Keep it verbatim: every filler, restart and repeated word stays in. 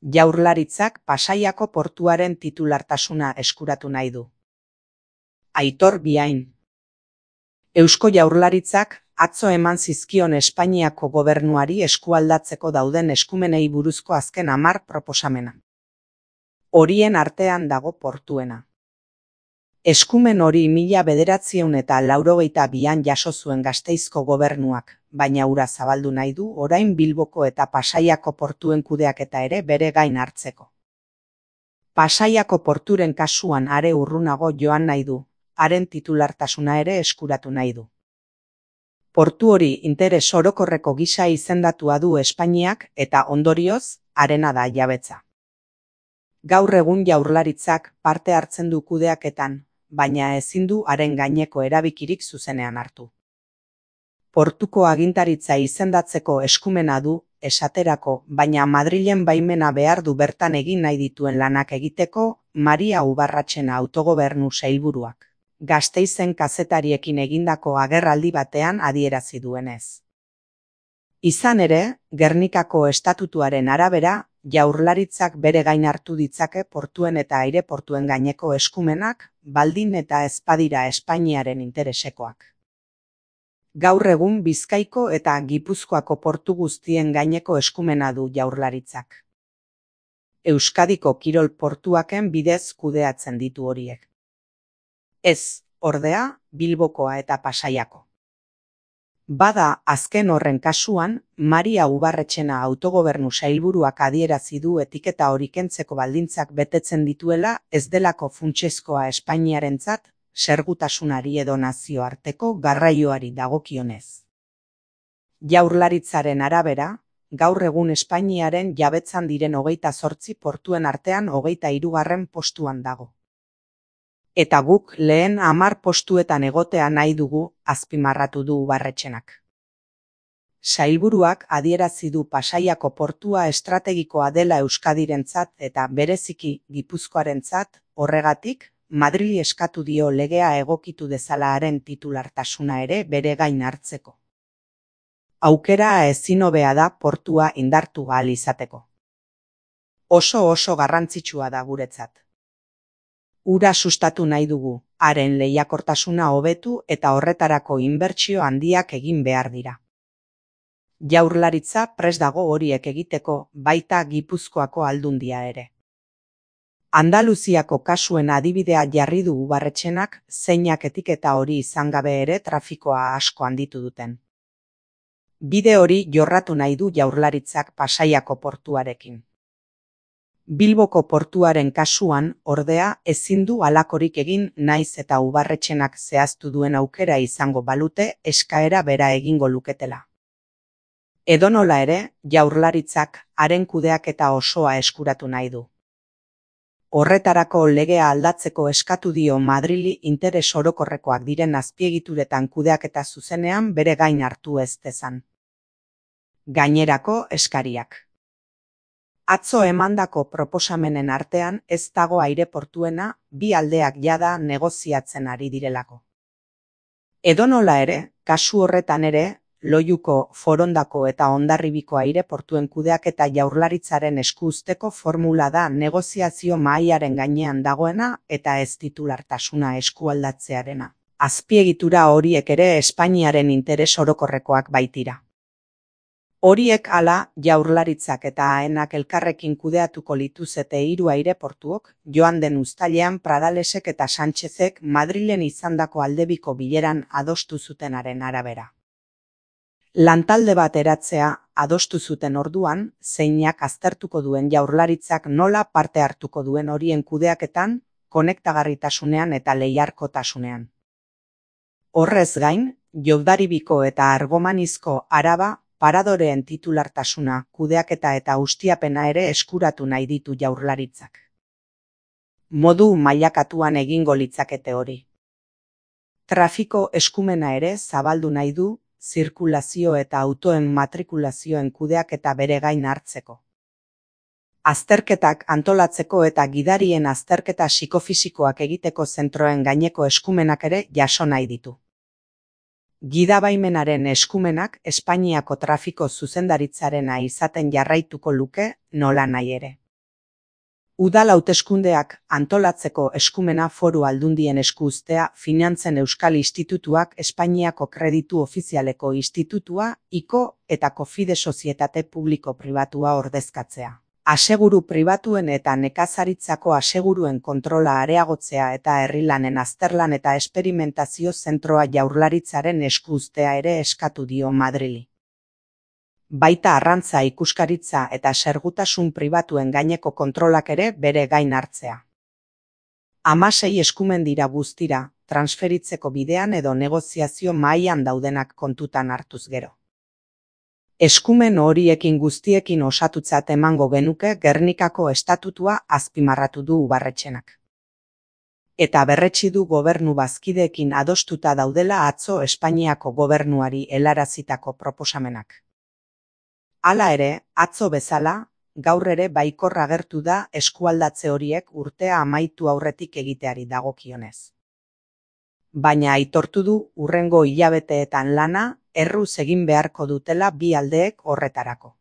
Jaurlaritzak Pasaiako portuaren titulartasuna eskuratu nahi du. Aitor Biain. Eusko Jaurlaritzak atzo eman zizkion Espainiako gobernuari eskualdatzeko dauden eskumenei buruzko azken hamar proposamena. Horien artean dago portuena. Eskumen hori mila bederatziehun eta laurogeita bian jaso zuen Gasteizko gobernuak, baina hura zabaldu nahi du orain Bilboko eta Pasaiako portuen kudeaketa ere bere gain hartzeko. Pasaiako porturen kasuan are urrunago joan nahi du, haren titulartasuna ere eskuratu nahi du. Portu hori interes orokorreko gisa izendatua du Espainiak eta ondorioz, harena da jabetza. Gaur egun Jaurlaritzak parte hartzen du kudeaketan, baina ezin du haren gaineko erabikirik zuzenean hartu. Portuko agintaritza izendatzeko eskumena du, esaterako, baina Madrilen baimena behar du bertan egin nahi dituen lanak egiteko Maria Ubarretxena autogobernu sailburuak, Gasteizen kazetariekin egindako agerraldi batean adierazi duenez. Izan ere, Gernikako estatutuaren arabera, Jaurlaritzak bere gain hartu ditzake portuen eta aireportuen gaineko eskumenak, baldin eta ez badira Espainiaren interesekoak. Gaur egun Bizkaiko eta Gipuzkoako portu guztien gaineko eskumena du Jaurlaritzak. Euskadiko kirol portuaken bidez kudeatzen ditu horiek. Ez, ordea, Bilbokoa eta Pasaiako. Bada, azken horren kasuan, Maria Ubarretxena autogobernu sailburuak adierazi du etiketa hori kentzeko baldintzak betetzen dituela ez delako funtsezkoa Espainiarentzat, segurtasunari edo nazioarteko garraioari dagokionez. Jaurlaritzaren arabera, gaur egun Espainiaren jabetzan diren hogeita zortzi portuen artean hogeita hirugarren postuan dago. Eta guk lehen hamar postuetan egotea nahi dugu, azpimarratu du Ubarretxenak. Sailburuak adierazi du Pasaiako portua estrategikoa dela Euskadirentzat eta bereziki Gipuzkoarentzat, horregatik, Madrili eskatu dio legea egokitu dezala haren titulartasuna ere bere gain hartzeko. Aukera ezin hobea da portua indartu ahal izateko. Oso oso garrantzitsua da guretzat. Ura sustatu nahi dugu, haren lehiakortasuna hobetu eta horretarako inbertsio handiak egin behar dira. Jaurlaritza prest dago horiek egiteko, baita Gipuzkoako aldundia ere. Andaluziako kasuen adibidea jarri du Ubarretxenak, zeinak etiketa hori izan gabe ere trafikoa asko handitu duten. Bide hori jorratu nahi du Jaurlaritzak Pasaiako portuarekin. Bilboko portuaren kasuan, ordea, ezin du halakorik egin naiz eta Ubarretxenak zehaztu duen aukera izango balute eskaera bera egingo luketela. Edonola ere, Jaurlaritzak haren kudeaketa osoa eskuratu nahi du. Horretarako legea aldatzeko eskatu dio Madrili interes orokorrekoak diren azpiegituretan kudeaketa zuzenean bere gain hartu ez dezan. Gainerako eskariak. Atzo emandako proposamenen artean ez dago aireportuena bi aldeak jada negoziatzen ari direlako. Edonola ere, kasu horretan ere, Loiuko, Forondako eta Hondarribiko aireportuen kudeaketa Jaurlaritzaren esku uzteko formula da negoziazio mahaiaren gainean dagoena eta ez titulartasuna eskualdatzearena. Azpiegitura horiek ere Espainiaren interes orokorrekoak baitira. Horiek hala, Jaurlaritzak eta Aenak elkarrekin kudeatuko lituzete hiru aireportuok, joan den uztailean Pradalesek eta Sánchezek Madrilen izandako aldebiko bileran adostu zutenaren arabera. Lantalde bat eratzea adostu zuten orduan, zeinak aztertuko duen Jaurlaritzak nola parte hartuko duen horien kudeaketan, konektagarritasunean eta lehiarkotasunean. Horrez gain, Hondarribiko eta Argomanizko Araba paradoreen titulartasuna, kudeaketa eta ustiapena ere eskuratu nahi ditu Jaurlaritzak. Modu mailakatuan egingo litzakete hori. Trafiko eskumena ere zabaldu nahi du, zirkulazio eta autoen matrikulazioen kudeaketa bere gain hartzeko. Azterketak antolatzeko eta gidarien azterketa psikofisikoak egiteko zentroen gaineko eskumenak ere jaso nahi ditu. Gidabaimenaren eskumenak Espainiako trafiko zuzendaritzarena izaten jarraituko luke nola nahi ere. Udal hauteskundeak antolatzeko eskumena Foru Aldundien esku uztea Finantzen Euskal Institutuak Espainiako Kreditu Ofizialeko Institutua, ICO eta Cofide Sozietate Publiko-Pribatua ordezkatzea. Aseguru pribatuen eta nekazaritzako aseguruen kontrola areagotzea eta herrilanen azterlan eta esperimentazio zentroa Jaurlaritzaren esku uztea ere eskatu dio Madrili. Baita arrantza ikuskaritza eta segurtasun pribatuen gaineko kontrolak ere bere gain hartzea. Hamasei eskumen dira guztira, transferitzeko bidean edo negoziazio mahaian daudenak kontutan hartuz gero. Eskumen horiekin guztiekin osatutzat emango genuke Gernikako estatutua azpimarratu du Ubarretxenak. Eta berretsi du gobernu bazkideekin adostuta daudela atzo Espainiako gobernuari helarazitako proposamenak. Hala ere, atzo bezala, gaur ere baikor agertu da eskualdatze horiek urtea amaitu aurretik egiteari dagokionez. Baina aitortu du hurrengo hilabeteetan lana erruz egin beharko dutela bi aldeek horretarako.